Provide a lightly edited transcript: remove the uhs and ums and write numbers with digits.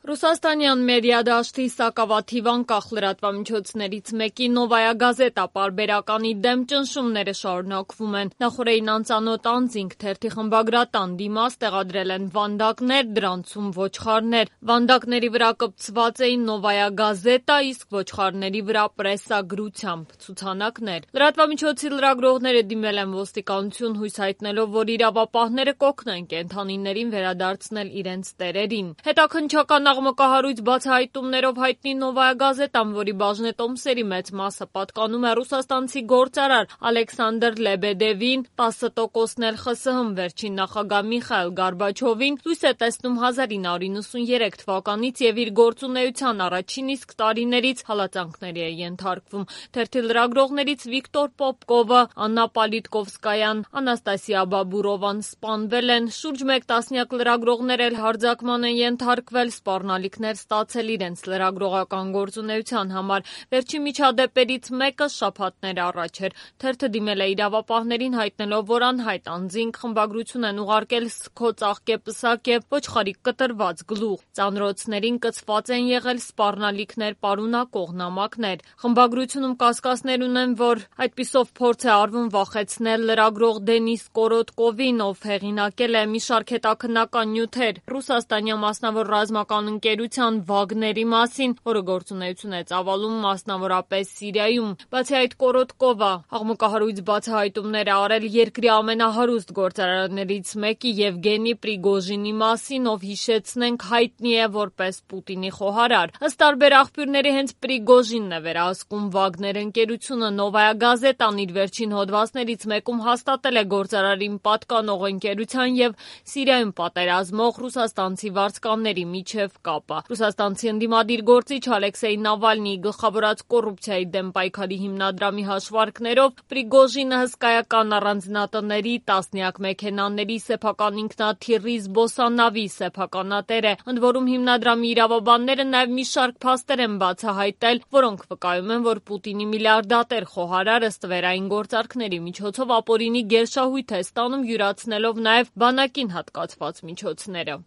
Ռուսաստանյան մեդիա դաշտի սակավաթիվ անկախ լրատվամիջոցներից մեկի «Նովայա Գազետա» պարբերականի դեմ ճնշումները շարունակվում են։ Նախօրեին անծանոթ անձինք թերթի խմբագրատան դիմաց տեղադրել են վանդակներ, դրանցում ոչխարներ։ Վանդակների վրա կպցված էին «Նովայա Գազետա», իսկ ոչխարների վրա պրեսագրությամբ ցուցանակներ։ Լրատվամիջոցի լրագրողները դիմել են ոստիկանություն, հույս հայտնելով, որ իրավապահները կօգնեն կենդանիներին վերադարձնել իրենց տերերին։ Հետաքննչական աղմկահարույց բացահայտումներով հայտնի «Նովայա Գազետան», որի բաժնետոմսերի մեծ մասը պատկանում է ռուսաստանցի գործարար Ալեքսանդր Լեբեդևին, 10%-ն էլ ԽՍՀՄ վերջին նախագահ Միխայիլ Գորբաչովին, լույս է տեսնում 1993 թվականից և իր գործունեության առաջին իսկ տարիներից հալածանքների է ենթարկվում։ Թերթի լրագրողներից Վիկտոր Պոպկովը, Աննա Պոլիտկովսկայան, Անաստասիա Բաբուրովան սպանվել են, շուրջ մեկ տասնյակ լրագրողներ էլ հարձակման են ենթարկվել, սպառնալիքներ ստացել իրենց լրագրողական գործունեության համար։ Վերջին միջադեպերից մեկը շաբաթներ առաջ էր։ Թերթը դիմել է իրավապահներին հայտնելով, որ անհայտ անձինք խմբագրություն են ուղարկել սգո-ծաղկե-պսակե ոչխարի կտրված գլուխ։ Ծանրոցներին կցված են եղել սպառնալիքներ պարունակող նամակներ։ Խմբագրությունում կասկածներ ունեն, որ այդպիսով փորձ է արվում վախեցնել լրագրող Դենիս Կորոտկովին, ով հեղինակել է մի շարք հետաքննական նյութեր ռուսաստանյան մասնավոր ռազմական ընկերության Վագների մասին, որը գործունեություն է ծավալում մասնավորապես Սիրիայում։ Բացի այդ, Կորոտկովը աղմկահարույց բացահայտումներ է արել երկրի ամենահարուստ գործարարներից մեկի Եվգենի Պրիգոժինի մասին, ով հիշեցնենք հայտնի է որպես Պուտինի խոհարար։ Ըստ տարբեր աղբյուրների, հենց Պրիգոժինն է վերահսկում Վագներ ընկերությունը։ «Նովայա Գազետան» իր վերջին հոդվածներից մեկում հաստատել է գործարարին պատկանող ընկերության և Սիրիայում պատերազմող ռուսաստանցի վարձկանների միջև կապը։ Ռուսաստանցի ընդդիմադիր գործիչ Ալեքսեյ Նավալնիի գլխավորած կոռուպցիայի դեմ պայքարի հիմնադրամի հաշվարկներով Պրիգոժինը հսկայական առանձնատների, տասնյակ մեքենաների, սեփական ինքնաթիռի, զբոսանավի սեփականատեր է։ Ընդ որում հիմնադրամի իրավաբանները նաև մի շարք փաստեր են բացահայտել, որոնք վկայում են, որ Պուտինի միլիարդատեր խոհարարը ստվերային գործարքների միջոցով ապօրինի գերշահույթ է ստանում, յուրացնելով նաև բանակին հատկացված միջոցները։